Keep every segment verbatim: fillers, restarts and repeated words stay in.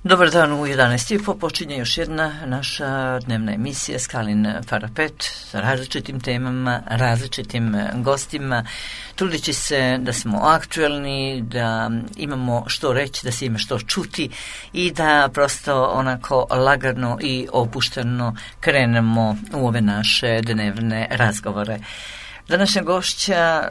Dobar dan, u jedanaest i po počinje još jedna naša dnevna emisija Skalin parapet sa različitim temama, različitim gostima, trudeći se da smo aktuelni, da imamo što reći, da se ima što čuti i da prosto onako lagano i opušteno krenemo u ove naše dnevne razgovore. Današnja gošća,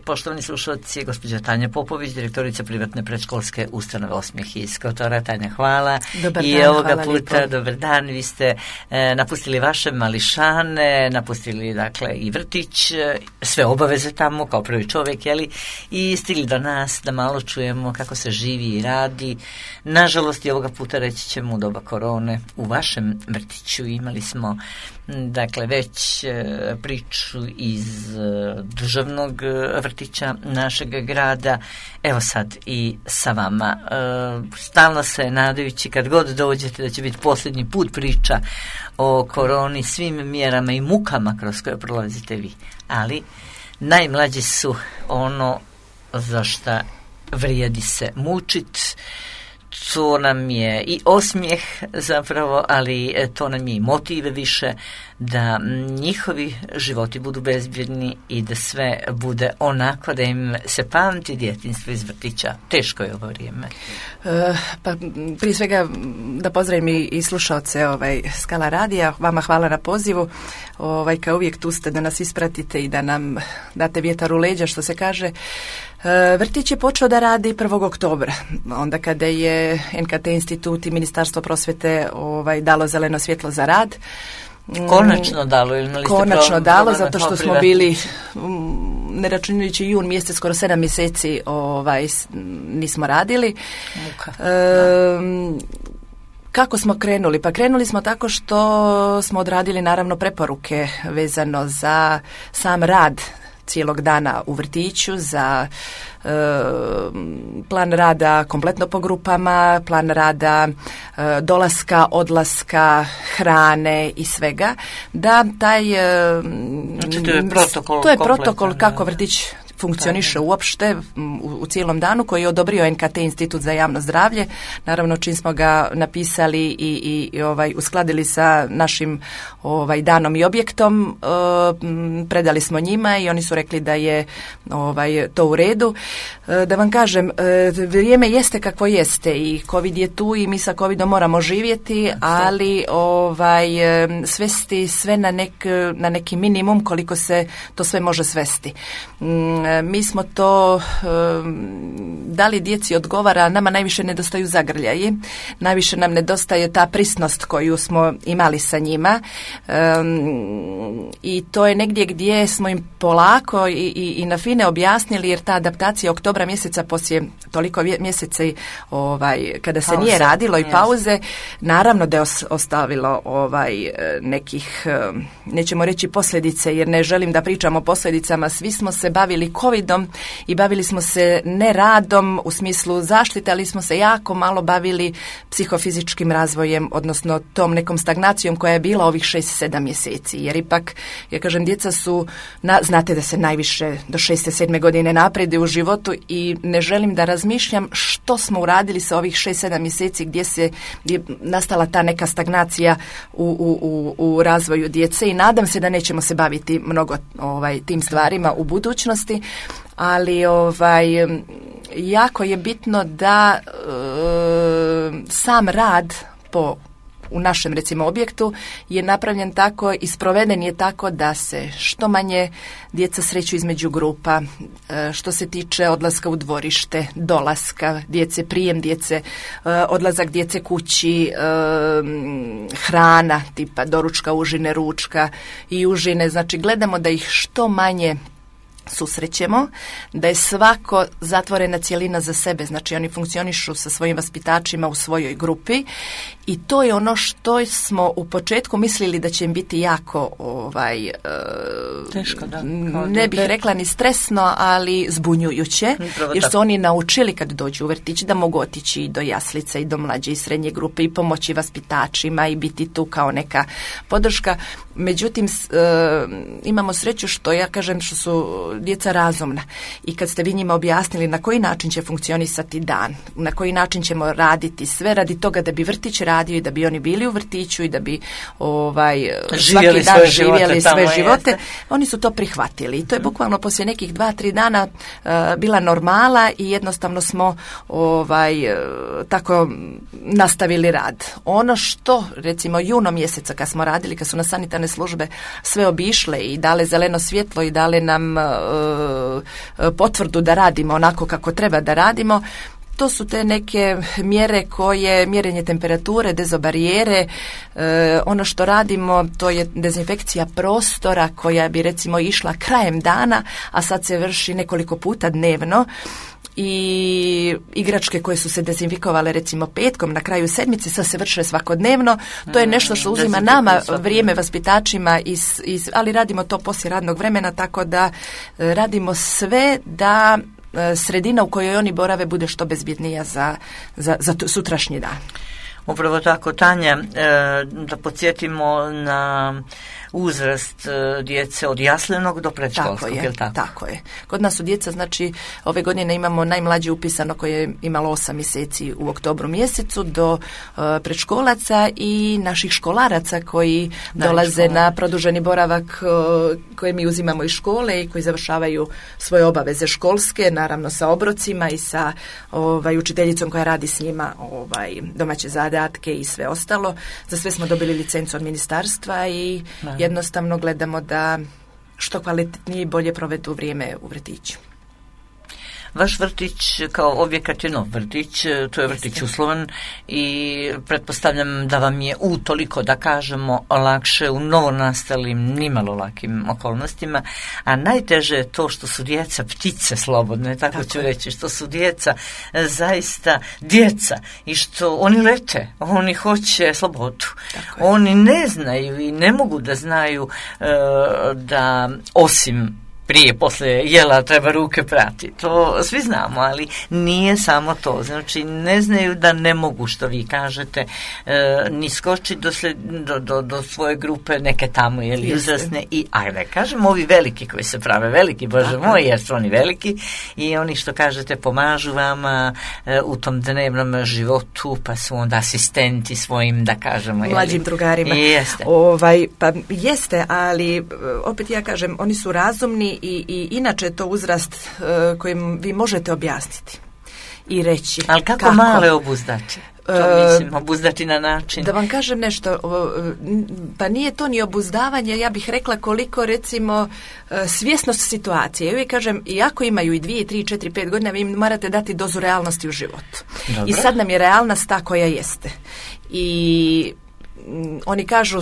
poštovani slušalci, je gospođa Tanja Popović, direktorica privatne predškolske ustanove Osmijeh iz Kotora. Tanja, hvala. Dobar I dan, ovoga hvala puta, lijepo. dobar dan, vi ste e, napustili vaše mališane, napustili dakle i vrtić, sve obaveze tamo kao prvi čovjek, jeli, i stigli do nas da malo čujemo kako se živi i radi. Nažalost, i ovoga puta reći ćemo u doba korone, u vašem vrtiću imali smo dakle već e, priču iz e, državnog vrtića našeg grada, evo sad i sa vama. E, stalno se nadajući kad god dođete da će biti posljednji put priča o koroni, svim mjerama i mukama kroz koje prolazite vi, ali najmlađi su ono za šta vrijedi se mučit. To nam je i osmijeh zapravo, ali to nam je i motiv više da njihovi životi budu bezbjedni i da sve bude onako da im se pamti djetinjstvo iz vrtića. Teško je ovo vrijeme. E, pa prije svega da pozdravim i, i slušaoce ovaj, Skala radija. Vama hvala na pozivu. Ovaj, kao uvijek tu ste da nas ispratite i da nam date vjetar u leđa, što se kaže. E, vrtić je počeo da radi prvog oktobra, onda kada je N K T institut i Ministarstvo prosvjete ovaj, dalo zeleno svjetlo za rad. Konačno dalo, ili imali ste Konačno problem, dalo, problem zato što smo bili, ne računajući jun mjesec, skoro sedam mjeseci ovaj, nismo radili. Muka, e, Kako smo krenuli? Pa krenuli smo tako što smo odradili naravno preporuke vezano za sam rad cijelog dana u vrtiću, za e, plan rada kompletno po grupama, plan rada e, dolaska, odlaska, hrane i svega, da taj e, znači, to je protokol, to je kompletan, protokol kako da. vrtić funkcioniše uopšte u, u cijelom danu, koji je odobrio N K T institut za javno zdravlje. Naravno, čim smo ga napisali i, i, i ovaj, uskladili sa našim ovaj, danom i objektom, e, predali smo njima i oni su rekli da je ovaj, to u redu. E, da vam kažem, e, vrijeme jeste kakvo jeste i COVID je tu i mi sa COVIDom moramo živjeti, ali ovaj, svesti sve na, nek, na neki minimum koliko se to sve može svesti. Mm, mi smo to da li djeci odgovara, nama najviše nedostaju zagrljaji, najviše nam nedostaje ta prisnost koju smo imali sa njima um, i to je negdje gdje smo im polako i, i, i na fine objasnili, jer ta adaptacija oktobra mjeseca poslije toliko mjeseci ovaj, kada se pauze, nije radilo i pauze, naravno da je ostavilo ovaj, nekih, nećemo reći posljedice, jer ne želim da pričamo o posljedicama. Svi smo se bavili covidom i bavili smo se ne radom u smislu zaštite, ali smo se jako malo bavili psihofizičkim razvojem, odnosno tom nekom stagnacijom koja je bila ovih šest sedam mjeseci. Jer ipak, ja kažem, djeca su, na, znate da se najviše do šeste sedme godine naprede u životu i ne želim da razmišljam što smo uradili sa ovih šest sedam mjeseci gdje se gdje je nastala ta neka stagnacija u, u, u, u razvoju djece i nadam se da nećemo se baviti mnogo ovaj, tim stvarima u budućnosti, ali ovaj, jako je bitno da e, sam rad po u našem recimo objektu je napravljen tako i sproveden je tako da se što manje djeca sreću između grupa, e, što se tiče odlaska u dvorište, dolaska djece, prijem djece, e, odlazak djece kući, e, hrana tipa doručka, užine, ručka i užine, znači gledamo da ih što manje susrećemo, da je svako zatvorena cjelina za sebe, znači oni funkcionišu sa svojim vaspitačima u svojoj grupi i to je ono što smo u početku mislili da će im biti jako ovaj, e, teško, da. Ne bih rekla ni stresno, ali zbunjujuće, jer su oni naučili kad dođu u vrtić da mogu otići i do jaslice i do mlađe i srednje grupe i pomoći vaspitačima i biti tu kao neka podrška. Međutim, e, imamo sreću što ja kažem što su djeca razumna. I kad ste vi njima objasnili na koji način će funkcionisati dan, na koji način ćemo raditi sve radi toga da bi vrtić radio i da bi oni bili u vrtiću i da bi ovaj, živjeli svaki dan svoje živjeli živote, sve živote, jeste. Oni su to prihvatili. I to je bukvalno poslije nekih dva, tri dana uh, bila normala i jednostavno smo ovaj, uh, tako nastavili rad. Ono što, recimo, juno mjeseca kad smo radili, kad su nas sanitarne službe sve obišle i dale zeleno svjetlo i dale nam uh, potvrdu da radimo onako kako treba da radimo, to su te neke mjere koje, mjerenje temperature, dezobarijere, e, ono što radimo to je dezinfekcija prostora koja bi recimo išla krajem dana, a sad se vrši nekoliko puta dnevno. I igračke koje su se dezinfikovale recimo petkom na kraju sedmice sad se vrše svakodnevno. To je nešto što uzima nama vrijeme, vaspitačima, iz, iz, ali radimo to poslije radnog vremena, tako da e, radimo sve da sredina u kojoj oni borave bude što bezbjednija za, za, za sutrašnji dan. Upravo tako, Tanja, da podsjetimo na uzrast djece od jaslenog do predškolskog, tako je, je li tako? Tako je. Kod nas su djeca, znači, ove godine imamo najmlađe upisano koje je imalo osam mjeseci u oktobru mjesecu do uh, predškolaca i naših školaraca koji da, dolaze škola. Na produženi boravak uh, koje mi uzimamo iz škole i koji završavaju svoje obaveze školske, naravno sa obrocima i sa ovaj, učiteljicom koja radi s njima ovaj, domaće zadatke i sve ostalo. Za sve smo dobili licencu od ministarstva i da. Jednostavno gledamo da što kvalitetnije i bolje provedu vrijeme u vrtiću. Vaš vrtić kao objekat je nov vrtić, to je vrtić uslovan i pretpostavljam da vam je utoliko, da kažemo, lakše u novonastalim, nimalo lakim okolnostima, a najteže je to što su djeca ptice slobodne, tako, tako ću je. reći, što su djeca zaista djeca i što oni lete, oni hoće slobodu. Oni ne znaju i ne mogu da znaju uh, da osim prije, poslije jela treba ruke prati. To svi znamo, ali nije samo to. Znači, ne znaju da ne mogu, što vi kažete, e, ni skoči do, sled, do, do, do svoje grupe neke tamo, jeli, uzrasne i, ajde, kažem, ovi veliki koji se prave veliki, Bože moj, jer su oni veliki i oni, što kažete, pomažu vama e, u tom dnevnom životu, pa su onda asistenti svojim, da kažemo, jeli, mlađim drugarima. Jeste. Ovaj, pa jeste, ali opet ja kažem, oni su razumni I, i inače je to uzrast uh, kojim vi možete objasniti i reći. Ali kako, kako? Male obuzdati? To mislim, obuzdati na način. Da vam kažem nešto, pa nije to ni obuzdavanje, ja bih rekla koliko recimo svjesnost situacije. Ja uvijek kažem, iako imaju i dvije, tri, četiri, pet godina, vi im morate dati dozu realnosti u životu. Dobro. I sad nam je realnost ta koja jeste. I oni kažu,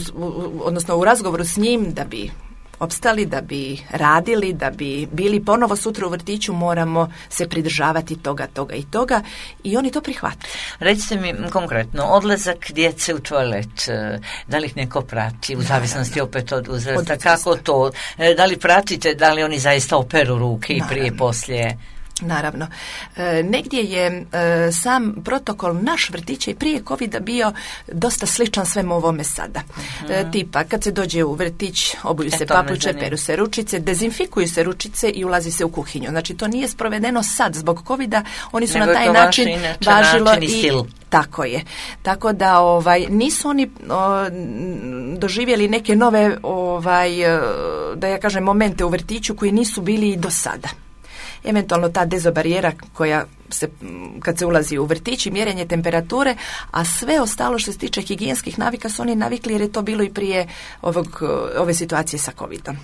odnosno u razgovoru s njim, da bi opstali, da bi radili, da bi bili ponovo sutra u vrtiću, moramo se pridržavati toga, toga i toga i oni to prihvate. Recite mi konkretno, odlazak djece u toalet, da li ih neko prati, u zavisnosti opet od uzrasta, kako to, da li pratite, da li oni zaista operu ruke i prije, poslije? Naravno. E, negdje je e, sam protokol naš vrtića i prije covida bio dosta sličan svemu ovome sada. Mm-hmm. E, tipa, kad se dođe u vrtić, obuju se papuče, peru se ručice, dezinfikuju se ručice i ulazi se u kuhinju. Znači, to nije sprovedeno sad zbog covida, oni su Nego na taj način važilo način i, i stil. Tako je. Tako da ovaj nisu oni o, doživjeli neke nove ovaj da ja kažem momente u vrtiću koji nisu bili i do sada. Eventualno ta dezobarijera koja se, kad se ulazi u vrtić i mjerenje temperature, a sve ostalo što se tiče higijenskih navika su oni navikli jer je to bilo i prije ovog, ove situacije sa covidom.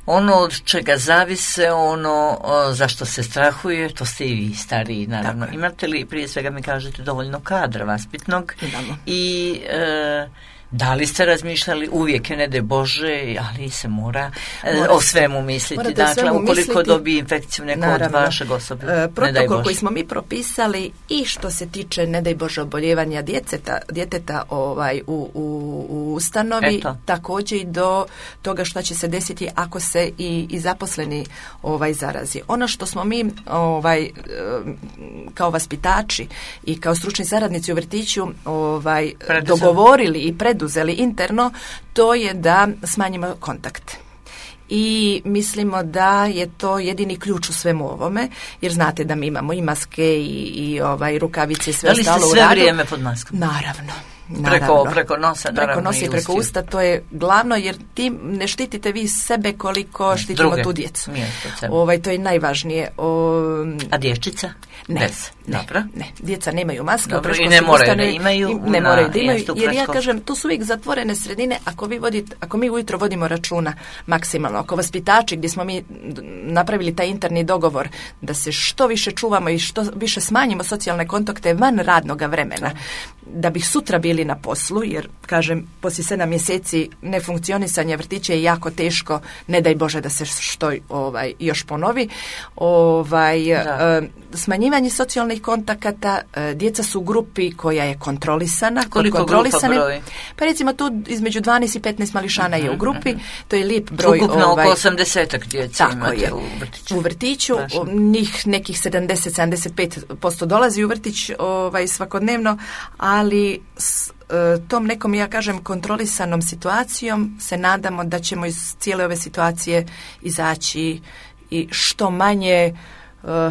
Ono od čega zavise, ono o, zašto se strahuje, to ste i vi stariji, naravno. Tako. Imate li, prije svega mi kažete, dovoljno kadra vaspitnog? Imamo. I e, da li ste razmišljali, uvijek je, ne daj Bože, ali se mora, mora o svemu misliti. Dakle, svemu ukoliko misliti, dobije infekciju neko naravno, od vašeg osobe, e, protokol koji smo mi propisali i što se tiče, ne daj Bože, oboljevanja djeteta, djeteta ovaj, u, u, u ustanovi, Eto. također i do toga što će se desiti ako se i, i zaposleni ovaj, zarazi. Ono što smo mi ovaj, kao vaspitači i kao stručni saradnici u vrtiću ovaj, dogovorili i preduzeli interno, to je da smanjimo kontakte. i mislimo da je to jedini ključ u svemu ovome, jer znate da mi imamo i maske i, i ovaj, rukavice i sve ostalo u radu. Da li ste sve vrijeme pod maskom? Naravno. Preko, preko nosa, preko nosa i preko usta, to je glavno, jer tim ne štitite vi sebe koliko štitimo Druge. tu djecu. Ovaj, to je najvažnije. O, A djevčica? Ne, Bez. ne, Dobro. ne, djeca nemaju maske. Dobro, i ne moraju da imaju. Ne moraju da imaju, jer ja kažem, tu su uvijek zatvorene sredine, ako, vi vodite, ako mi ujutro vodimo računa maksimalno, ako vaspitači gdje smo mi napravili taj interni dogovor da se što više čuvamo i što više smanjimo socijalne kontakte van radnoga vremena, da bi sutra bili na poslu, jer kažem, poslije sedam mjeseci nefunkcionisanja vrtića je jako teško, ne daj Bože da se što ovaj, još ponovi. Ovaj, e, smanjivanje socijalnih kontakata, e, djeca su u grupi koja je kontrolisana. Koliko grupa broj? Pa recimo tu između dvanaest i petnaest mališana uh-huh, je u grupi, uh-huh. to je lijep broj. Ukupno ovaj, oko osamdesetak djece imate je, u vrtiću. U vrtiću, njih nekih sedamdeset do sedamdeset pet posto dolazi u vrtić ovaj, svakodnevno, ali s e, tom nekom, ja kažem, kontrolisanom situacijom se nadamo da ćemo iz cijele ove situacije izaći i što manje, e,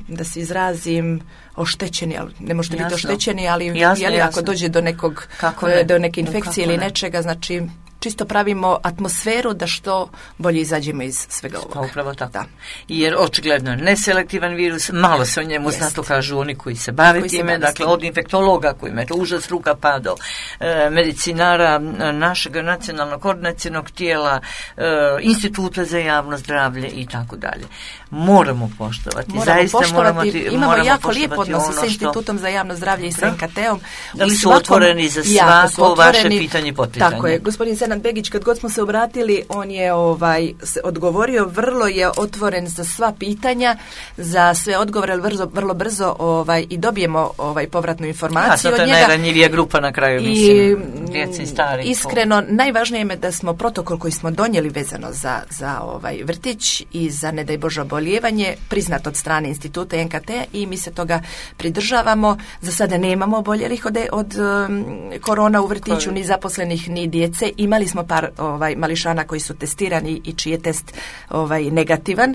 da se izrazim, oštećeni, ali ne možete biti oštećeni, ali jasno, jeli, jasno. ako dođe do nekog ne? do neke infekcije Kako ili ne? nečega, znači čisto pravimo atmosferu da što bolje izađemo iz svega ovoga. Pa upravo tako. Da. Jer očigledno je neselektivan virus, malo se o njemu zna, to kažu oni koji se bave koji time, se dakle od infektologa koji ima to užas struka pa do e, medicinara našeg nacionalnog koordinacionog tijela, e, instituta za javno zdravlje i tako dalje. Moramo poštovati. Moramo Zaista poštovati. Moramo ti, imamo moramo jako lijep odnos ono sa institutom za javno zdravlje i s en ka te-om. Da li su otvoreni za svako vaše pitanje i potpitanje? Tako je. Gospodin Senad Begić, kad god smo se obratili, on je ovaj odgovorio, vrlo je otvoren za sva pitanja, za sve odgovore, vrlo, vrlo brzo ovaj, i dobijemo ovaj povratnu informaciju ja, od njega. To je najranjivija grupa na kraju, mislim, djeci i stari. Iskreno, najvažnije je da smo protokol koji smo donijeli vezano za, za ovaj vrtić i za, ne daj Bože, oboljevanje, priznat od strane instituta en ka te i mi se toga pridržavamo. Za sada nemamo oboljelih od, od um, korona u vrtiću, Koji? ni zaposlenih, ni djece. Imali smo par ovaj, mališana koji su testirani i čiji je test ovaj, negativan,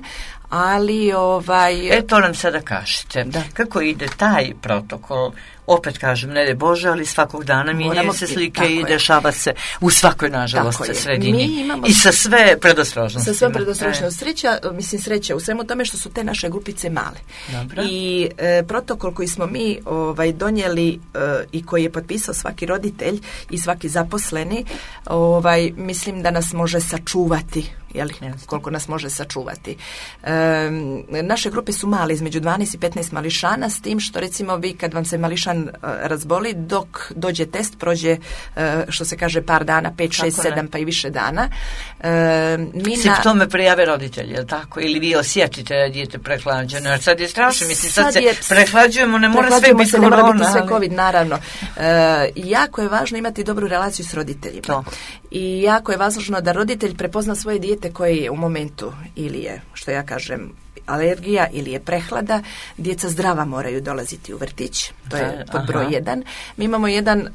ali ovaj... E, to nam sada kažete. Da. Kako ide taj protokol? Opet kažem, ne de Bože, ali svakog dana mijenjaju se slike i dešava se u svakoj, nažalost, sredini. Imamo, I sa sve predostrožnosti. Sa sve predostrožnosti. Sreća, mislim, sreća u svemu tome što su te naše grupice male. Dobro. I e, protokol koji smo mi ovaj, donijeli e, i koji je potpisao svaki roditelj i svaki zaposleni, ovaj, mislim da nas može sačuvati. Jeli, koliko nas može sačuvati. E, naše grupe su male, između dvanaest i petnaest mališana, s tim što recimo vi kad vam se mališan uh, razboli, dok dođe test, prođe uh, što se kaže par dana, pet, šest, sedam pa i više dana. E, mi Simptome na... prijave roditelji, je li tako? Ili vi osjetite da dijete prehlađeno? Jer sad je strašno, mislim, sad, sad se je, prehlađujemo, ne mora sve biti korona. Ne mora biti sve COVID, naravno. E, jako je važno imati dobru relaciju s roditeljima. To. I jako je važno da roditelj prepozna svoje dijete koje je u momentu ili je, što ja kažem, alergija ili je prehlada, djeca zdrava moraju dolaziti u vrtić, to je pod broj jedan. Mi imamo jedan, uh,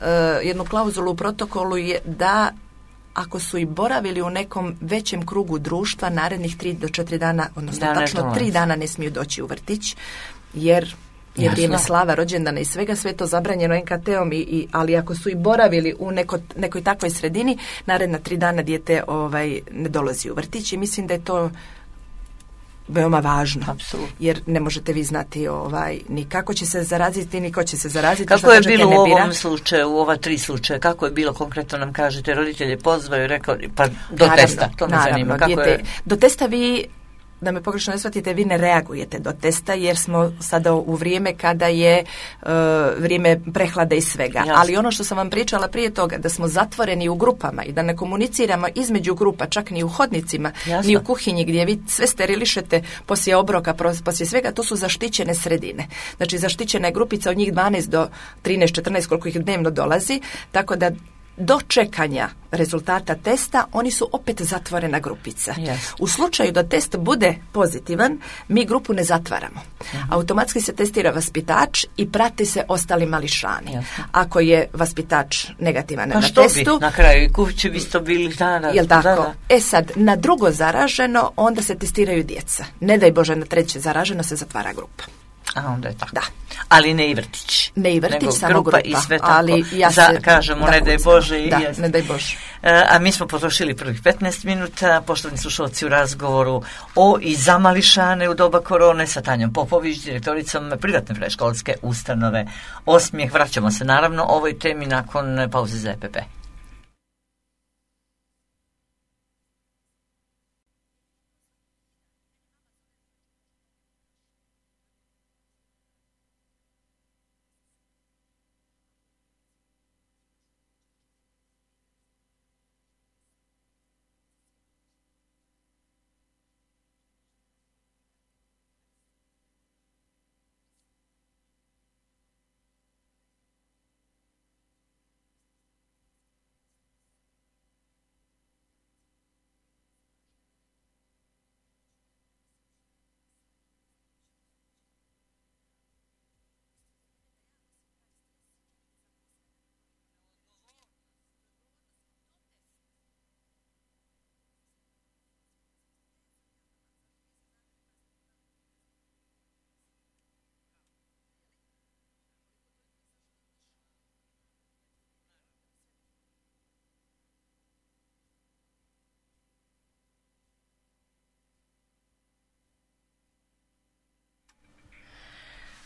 jednu klauzulu u protokolu je da ako su i boravili u nekom većem krugu društva, narednih tri do četiri dana, odnosno da, tačno tri dana ne smiju doći u vrtić, jer je Jasno. vrijeme slava, rođendana i svega, sve to zabranjeno en ka te-om, i, i, ali ako su i boravili u neko, nekoj takvoj sredini, naredna tri dana dijete ovaj, ne dolazi u vrtić i mislim da je to veoma važno. Apsolutno. Jer ne možete vi znati ovaj, ni kako će se zaraziti, ni ko će se zaraziti. Kako je bilo u ovom slučaju, u ova tri slučaja, kako je bilo konkretno, nam kažete, roditelje pozvaju, rekao, pa do naravno, testa, to me naravno, zanima. Kako dijete, je... Do testa vi, da me pogrešno ne shvatite, vi ne reagujete do testa, jer smo sada u vrijeme kada je uh, vrijeme prehlade i svega. Jasne. Ali ono što sam vam pričala prije toga, da smo zatvoreni u grupama i da ne komuniciramo između grupa, čak ni u hodnicima, Jasne. ni u kuhinji gdje vi sve sterilišete poslije obroka, poslije svega, to su zaštićene sredine. Znači zaštićena je grupica od njih dvanaest do trinaest četrnaest koliko ih dnevno dolazi, tako da do čekanja rezultata testa, oni su opet zatvorena grupica. Yes. U slučaju da test bude pozitivan, mi grupu ne zatvaramo. Uh-huh. Automatski se testira vaspitač i prati se ostali mališani. Yes. Ako je vaspitač negativan pa na testu... Pa što bi? Na kraju kući bi to bili... Da, da, jel tako? Da, da. E sad, na drugo zaraženo, onda se testiraju djeca. Ne daj Bože, na treće zaraženo se zatvara grupa. A onda je tako. Da. Ali ne i vrtić. Ne i vrtić, samo grupa. grupa. I sve tako. Ali ja se, Za, kažemo, ne daj Bože. I da, jest. ne daj Bože. E, a mi smo potrošili prvih petnaest minuta, poštovani slušalci, u razgovoru o i za mališane u doba korone sa Tanjom Popović, direktoricom privatne predškolske ustanove Osmijeh. Vraćamo se naravno ovoj temi nakon pauze za E P P.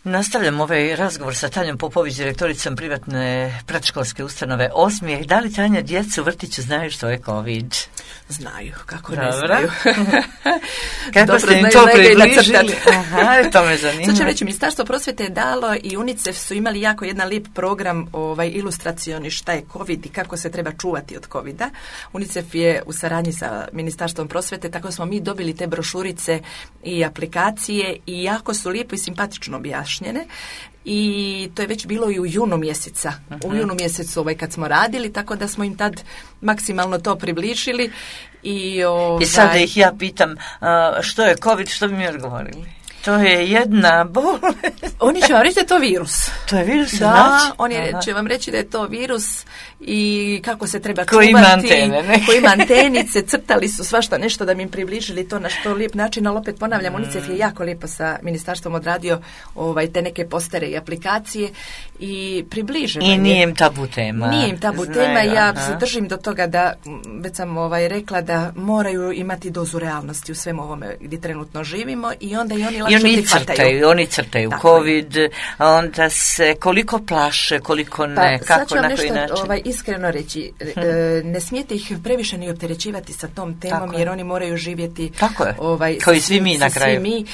Nastavljam ovaj razgovor sa Tanjom Popović, direktoricom privatne predškolske ustanove Osmijeh. Da li, Tanja, djeca u vrtiću znaju što je COVID? Znaju, kako Dobra. ne znaju. Kako dobro ste im znaju, to znaju ga i približili? nacrtati. Aha, to me zanima. Sad ću reći, Ministarstvo prosvjete je dalo i UNICEF su imali jako jedan lijep program ovaj, ilustracioni šta je COVID i kako se treba čuvati od covida. UNICEF je u saradnji sa Ministarstvom prosvjete, tako smo mi dobili te brošurice i aplikacije i jako su lijepo i simpatično objašnjene. I to je već bilo i u junu mjeseca. Uh-huh. U junu mjesecu ovaj, kad smo radili, tako da smo im tad maksimalno to približili. I, ovaj... I sad da ih ja pitam uh, što je COVID, što bi mi odgovorili? To je jedna bolest. Oni će vam reći da je to virus. To je virus, da, znači? oni će vam reći da je to virus i kako se treba Ko čuvati. Ima antene, ne? Ko ima antenice, crtali su svašta nešto da mi im približili to na što lijep način, ali opet ponavljam, mm. UNICEF je jako lijepo sa ministarstvom odradio ovaj, te neke postere i aplikacije i približeno. I nije im tabu tema. Nije im tabu Znaju, tema, ja aha. se držim do toga da, već sam ovaj, rekla da moraju imati dozu realnosti u svemu ovome gdje trenutno živimo i onda i oni I oni crtaju, oni crtaju Tako COVID, onda se koliko plaše, koliko ne, pa, kako, na koji nešto, način. Ovaj, iskreno reći, e, ne smijete ih previše ni opterećivati sa tom temom, Tako jer je. oni moraju živjeti, Tako je. ovaj, Kao i svi mi na kraju. Svi mi e,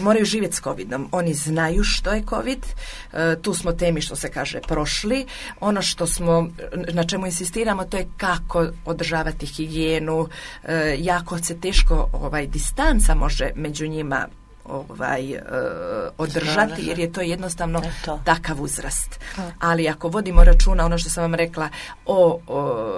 moraju živjeti s covidom. Oni znaju što je covid, e, tu smo temi, što se kaže, prošli. Ono što smo, na čemu insistiramo, to je kako održavati higijenu, e, jako se teško ovaj, distanca može među njima ovaj, uh, održati, jer je to jednostavno to. takav uzrast. Ali ako vodimo računa, ono što sam vam rekla, o, o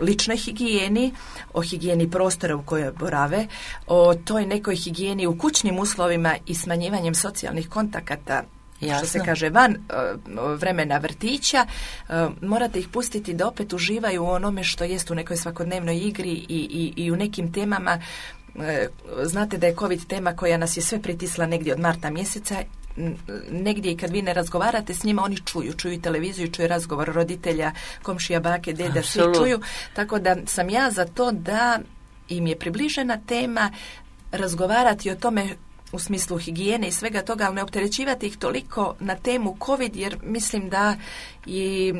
ličnoj higijeni, o higijeni prostora u kojoj borave, o toj nekoj higijeni u kućnim uslovima i smanjivanjem socijalnih kontakata, Jasno. što se kaže van uh, vremena vrtića, uh, morate ih pustiti da opet uživaju u onome što jest u nekoj svakodnevnoj igri i, i, i u nekim temama. Znate da je COVID tema koja nas je sve pritisla negdje od marta mjeseca, negdje i kad vi ne razgovarate s njima, oni čuju, čuju televiziju, čuju razgovor roditelja, komšija, bake, deda, svi čuju, tako da sam ja za to da im je približena tema, razgovarati o tome u smislu higijene i svega toga, ali ne opterećivati ih toliko na temu COVID, jer mislim da i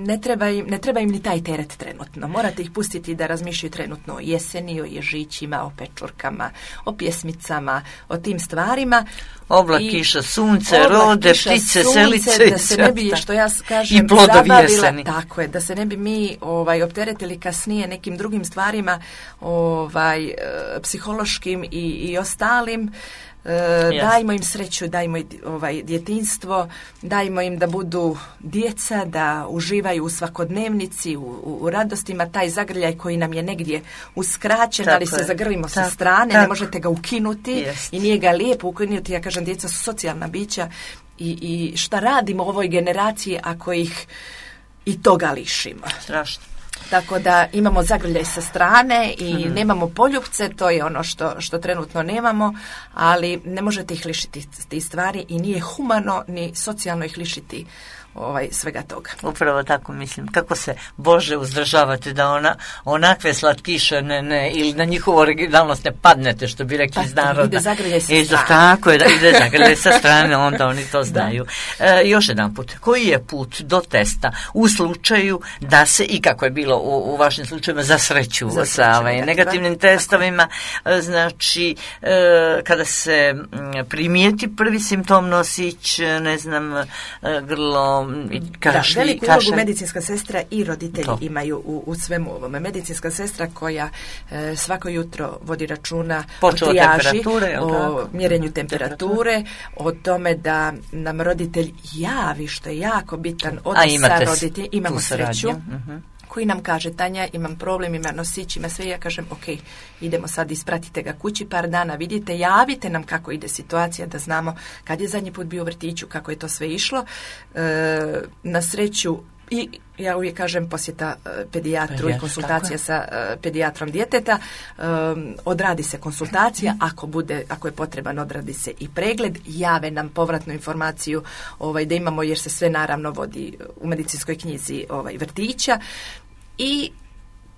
ne treba im, ne treba im ni taj teret trenutno. Morate ih pustiti da razmišljaju trenutno o jeseni, o ježićima, o pečurkama, o pjesmicama, o tim stvarima. Oblak, I, kiša, sunce, oblak, rode, kiša, ptice, sunce, selice. Da se ne bi, što ja kažem, i plodovi zabavila, jeseni. tako je, da se ne bi mi ovaj, opteretili kasnije nekim drugim stvarima, ovaj, psihološkim i, i ostalim. E, dajmo im sreću, dajmo im ovaj, djetinjstvo, dajmo im da budu djeca, da uživaju u svakodnevnici, u, u, u radostima, taj zagrljaj koji nam je negdje uskraćen, tako ali se zagrlimo sa strane, tako. Ne možete ga ukinuti Jest. I nije ga lijepo ukinuti. Ja kažem, djeca su socijalna bića i, i šta radimo u ovoj generaciji ako ih i toga lišimo? Strašno. Tako da imamo zagrljaj sa strane i mm-hmm. nemamo poljupce, to je ono što, što trenutno nemamo, ali ne možete ih lišiti tih stvari i nije humano ni socijalno ih lišiti ovaj, svega toga. Upravo tako mislim. Kako se Bože uzdržavate da ona onakve slatkiše ne, ne, ili na njihovu originalnost ne padnete, što bi rekli iz naroda. Ide zagrljaj sa I strane. Tako je, da ide zagrljaj sa strane, onda oni to znaju. E, još jedan put, koji je put do testa u slučaju da se, i kako je bilo u, u vašim slučajima, za sreću za sa ovaj, negativnim testovima, znači e, kada se primijeti prvi simptom nosić, ne znam, grlo, kašlji, da, veliku kašalj. ulogu medicinska sestra i roditelji to. imaju u, u svemu ovome. Medicinska sestra koja e, svako jutro vodi računa Počeo o trijaži, o mjerenju temperature, o tome da nam roditelj javi, što je jako bitan odnos sa roditeljem. Imamo sreću. Uh-huh. Koji nam kaže, Tanja, imam problem, ima nosić, ima sve, ja kažem, ok, idemo sad, ispratite ga kući par dana, vidite, javite nam kako ide situacija, da znamo kad je zadnji put bio u vrtiću, kako je to sve išlo. E, na sreću, i ja uvijek kažem, posjeta uh, pedijatru i konsultacija sa uh, pedijatrom djeteta, um, odradi se konsultacija, ako bude, ako je potreban, odradi se i pregled, jave nam povratnu informaciju ovaj, da imamo, jer se sve naravno vodi u medicinskoj knjizi ovaj, vrtića. I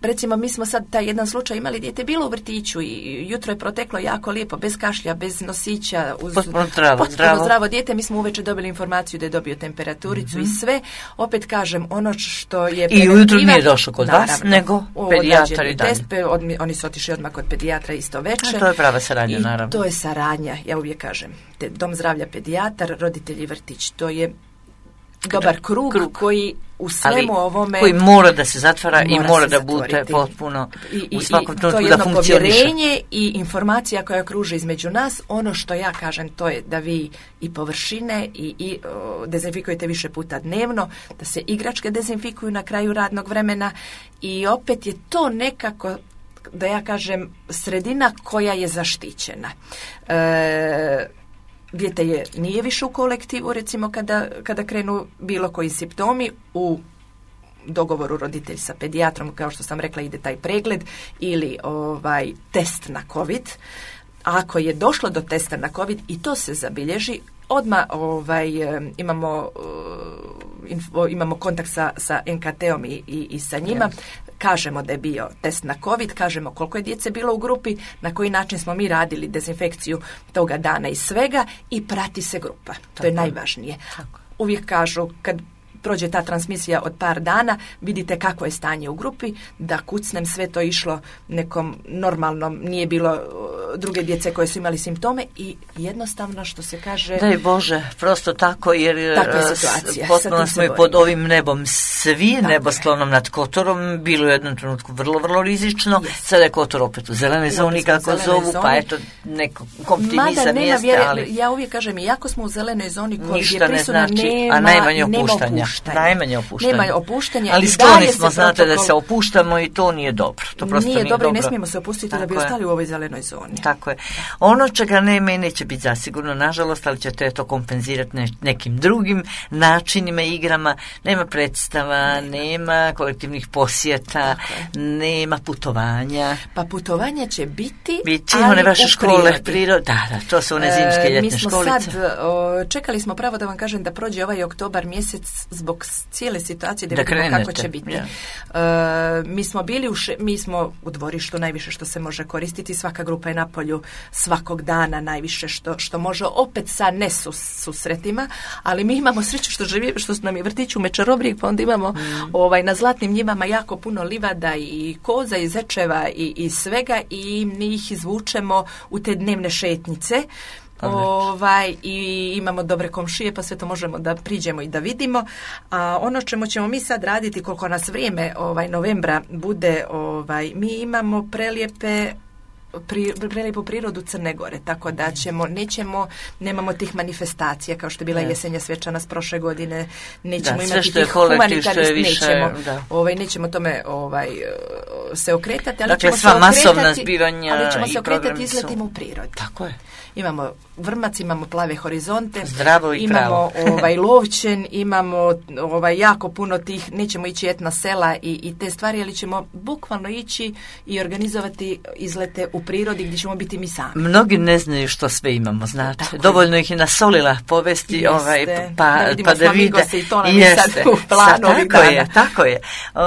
recimo, mi smo sad taj jedan slučaj imali, dijete bilo u vrtiću i jutro je proteklo jako lijepo, bez kašlja, bez nosića, uz potpuno zdravo, potpuno zdravo. zdravo dijete. Mi smo uveče dobili informaciju da je dobio temperaturicu mm-hmm. i sve. Opet kažem, ono što je i ujutro nije došao kod naravno, vas, nego pedijatar i dalje. Test, od, oni su otišli odmah kod pedijatra isto večer. A to je prava saradnja, i naravno. To je saradnja, ja uvijek kažem. Te, dom zdravlja, pedijatar, roditelji, vrtić. To je dobar krug, krug koji u svemu ali, ovome koji mora da se zatvara mora i mora da zatvoriti. Bude potpuno I, i, u svakom trenutku da funkcioniše. To je jedno povjerenje i informacija koja kruži između nas. Ono što ja kažem, to je da vi i površine i, i o, dezinfikujete više puta dnevno, da se igračke dezinfikuju na kraju radnog vremena i opet je to nekako, da ja kažem, sredina koja je zaštićena. E, Dijete je, nije više u kolektivu, recimo kada, kada krenu bilo koji simptomi, u dogovoru roditelj sa pedijatrom, kao što sam rekla, ide taj pregled ili ovaj test na COVID. Ako je došlo do testa na COVID i to se zabilježi, odmah ovaj, imamo, info, imamo kontakt sa, sa en ka te-om i, i, i sa njima. Kažemo da je bio test na COVID, kažemo koliko je djece bilo u grupi, na koji način smo mi radili dezinfekciju toga dana i svega i prati se grupa. To Tako. je najvažnije. Tako. Uvijek kažu, kad prođe ta transmisija od par dana, vidite kako je stanje u grupi, da kucnem, sve to išlo nekom normalnom, nije bilo druge djece koje su imali simptome i jednostavno, što se kaže... Daj Bože, prosto tako, jer potpuno smo i pod ovim nebom svi, tako nebosklonom nad Kotorom, bilo je u jednom trenutku vrlo, vrlo rizično, yes. Sada je Kotor opet u zelenoj zoni, kako zovu, zoni. Pa eto, neko optimizam jeste, vjere, ali... Ja uvijek kažem, iako smo u zelenoj zoni, koji ništa je prisutna, ne znači, nema, a najmanje opuštanja. opuštanja. Najmanje opuštanja. Nema opuštanja. Ali skloni smo, znate, protokol... da se opuštamo i to nije dobro. To prosto nije, nije dobro dobro i ne smijemo se opustiti tako da bi ostali u ovoj zelenoj zoni. Tako je. Ono čega nema i neće biti zasigurno, nažalost, ali ćete to kompenzirati ne, nekim drugim načinima, igrama. Nema predstava, nema, nema kolektivnih posjeta, nema putovanja. Pa putovanja će biti, biti ali one vaše škole, prirode. Da, da, to su one zimske ljetne e, mi smo školice. Sad, o, čekali smo pravo da vam kažem da prođe ovaj oktobar mjesec zbog cijele situacije da, da vidimo krenete. Kako će biti. Yeah. E, mi smo bili u, še, mi smo u dvorištu najviše što se može koristiti, svaka grupa je na polju svakog dana najviše što, što može, opet sa nesusretima, ali mi imamo sreću što, živi, što nam je vrtić u Mečarobrije, pa onda imamo mm. ovaj, na Zlatnim njivama jako puno livada i koza i zečeva i, i svega i mi ih izvučemo u te dnevne šetnice. Ovaj, i imamo dobre komšije, pa sve to možemo da priđemo i da vidimo. A ono čemu ćemo mi sad raditi, koliko nas vrijeme ovaj, novembra bude, ovaj, mi imamo prelijepe pri, prelijepu prirodu Crne Gore, tako da ćemo, nećemo, nemamo tih manifestacija kao što je bila yes. jesenja svečanost prošle godine, nećemo da, imati tih humanitarnih, nećemo, da. ovaj, nećemo tome ovaj, se okretati, ali dakle, ćemo sva se masovna okretati, zbivanja ali ćemo i se okretati izletima u prirodi. Tako je. Imamo vrmac, imamo plave horizonte, zdravo i imamo ovaj Lovćen, imamo ovaj jako puno tih, nećemo ići etna sela i, i te stvari, ali ćemo bukvalno ići i organizovati izlete u prirodi gdje ćemo biti mi sami. Mnogi ne znaju što sve imamo, znate. Tako dovoljno je. Ih je nasolila povesti, jeste, ovaj, pa da vidimo pa da vide. I to nam je sad u planu ovih tako dana. je, tako je. Uh,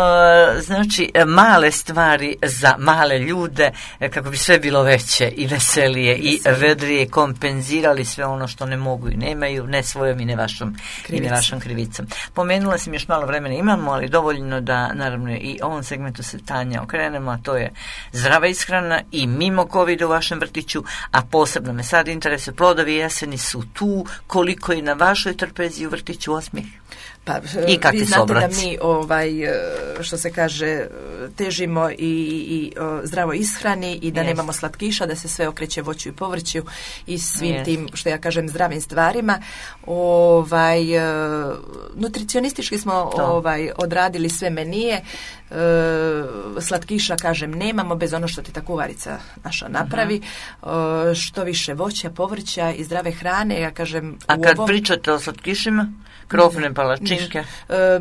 znači, male stvari za male ljude, kako bi sve bilo veće i veselije i vedrije, kompenzirali sve ono što ne mogu i nemaju, ne svojom i ne vašom, i ne vašom krivicom. Pomenula sam još malo vremena imamo, ali dovoljno da naravno i ovom segmentu se Tanja okrenemo, a to je zdrava ishrana i mimo covida u vašem vrtiću, a posebno me sad interesuje, plodovi jeseni su tu, koliko i na vašoj trpezi u vrtiću Osmijeh? Pa, I vi znate da mi, ovaj, što se kaže, težimo i, i o, zdravo ishrani i da yes. nemamo slatkiša, da se sve okreće voću i povrću i svim yes. tim, što ja kažem, zdravim stvarima. Ovaj, nutricionistički smo ovaj, odradili sve menije. E, slatkiša, kažem, nemamo bez ono što ti ta kuvarica naša napravi. Uh-huh. E, što više voća, povrća i zdrave hrane, ja kažem... A kad ovom... pričate o slatkišima? Krofne palačinke. E,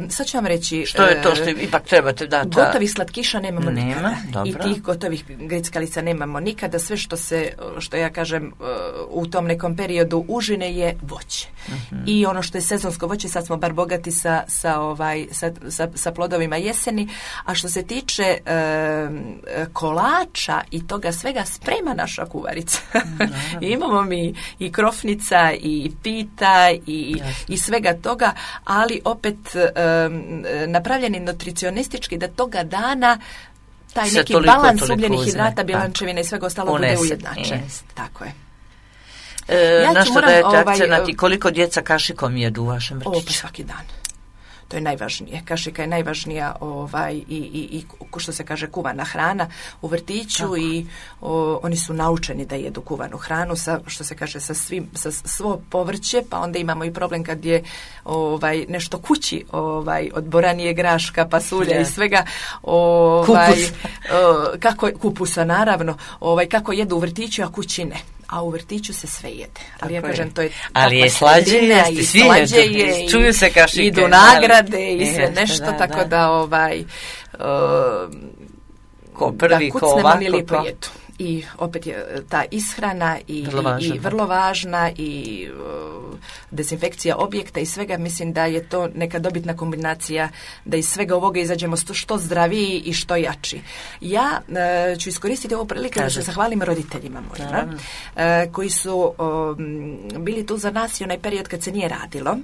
sad ću vam reći... Što je to što ipak trebate dati? Gotovih slatkiša nemamo Nema, nikada. dobro. I tih gotovih grickalica nemamo nikada. Sve što se, što ja kažem, u tom nekom periodu užine je voće. Uh-huh. I ono što je sezonsko voće, sad smo bar bogati sa, sa, ovaj, sa, sa, sa plodovima jeseni. A što se tiče e, kolača i toga svega, sprema naša kuvarica. I imamo mi i krofnica, i pita, i, i svega toga, ali opet um, napravljeni nutricionistički da toga dana taj se neki toliko, balans toliko ugljenih uzme. hidrata, bilančevina i svega ostalo Unese. Bude ujednačen. Tako je. E, ja na što moram, dajete ovaj, akcenat i koliko djeca kašikom jedu u vašem vrtiću? O, pa svaki dan. To je najvažnije. Kašika je najvažnija ovaj, i, i, i što se kaže kuvana hrana u vrtiću. Tako. I o, oni su naučeni da jedu kuvanu hranu sa, što se kaže, sa, svim, sa svo povrće, pa onda imamo i problem kad je ovaj, nešto kući ovaj, od boranije, graška, pasulja yeah. i svega. Ovaj, Kupus. o, kako, kupusa, naravno. Ovaj, kako jedu u vrtiću, a kući ne. A u vrtiću se sve jede. Ali ja kažem, to je... Ali je slađe jesti, i svi slađe je, i, čuju se kašike. Idu nagrade ali, i sve jeste, nešto, da, tako da, da ovaj... Uh, ko prvi, da ko ovako, ni lipo jedu. I opet je ta ishrana i vrlo, i, i vrlo važna i uh, dezinfekcija objekta i svega, mislim da je to neka dobitna kombinacija da iz svega ovoga izađemo što, što zdraviji i što jači. Ja uh, ću iskoristiti ovu priliku da se zahvalim roditeljima mojima uh, koji su um, bili tu za nas i onaj period kad se nije radilo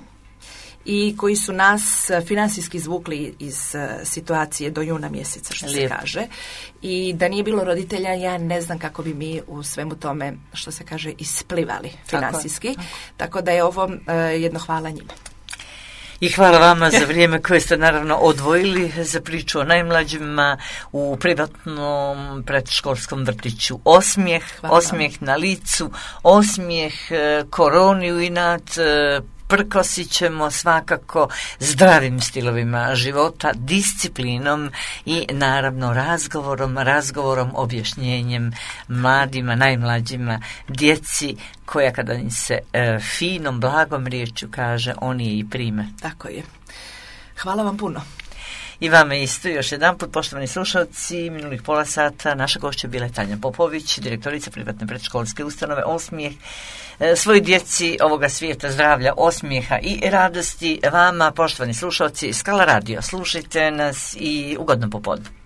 i koji su nas financijski izvukli iz uh, situacije do juna mjeseca, što Lijep. se kaže. I da nije bilo roditelja, ja ne znam kako bi mi u svemu tome, što se kaže, isplivali financijski. Tako, tako da je ovo uh, jedno hvala njima. I hvala vama za vrijeme koje ste naravno odvojili za priču o najmlađima u privatnom predškolskom vrtiću Osmijeh, hvala Osmijeh vam. Na licu, Osmijeh, koroni u inat, prkosit ćemo svakako zdravim stilovima života, disciplinom i naravno razgovorom, razgovorom, objašnjenjem mladima, najmlađima, djeci koja kada im se e, finom, blagom riječju kaže, oni je i prime. Tako je. Hvala vam puno. I vama isto, još jedan put, poštovani slušalci, minulih pola sata naša gošća bila je Tanja Popović, direktorica privatne predškolske ustanove Osmijeh. E, svoj djeci ovoga svijeta zdravlja, osmijeha i radosti. Vama, poštovani slušalci, Skala radio, slušajte nas i ugodno popodne.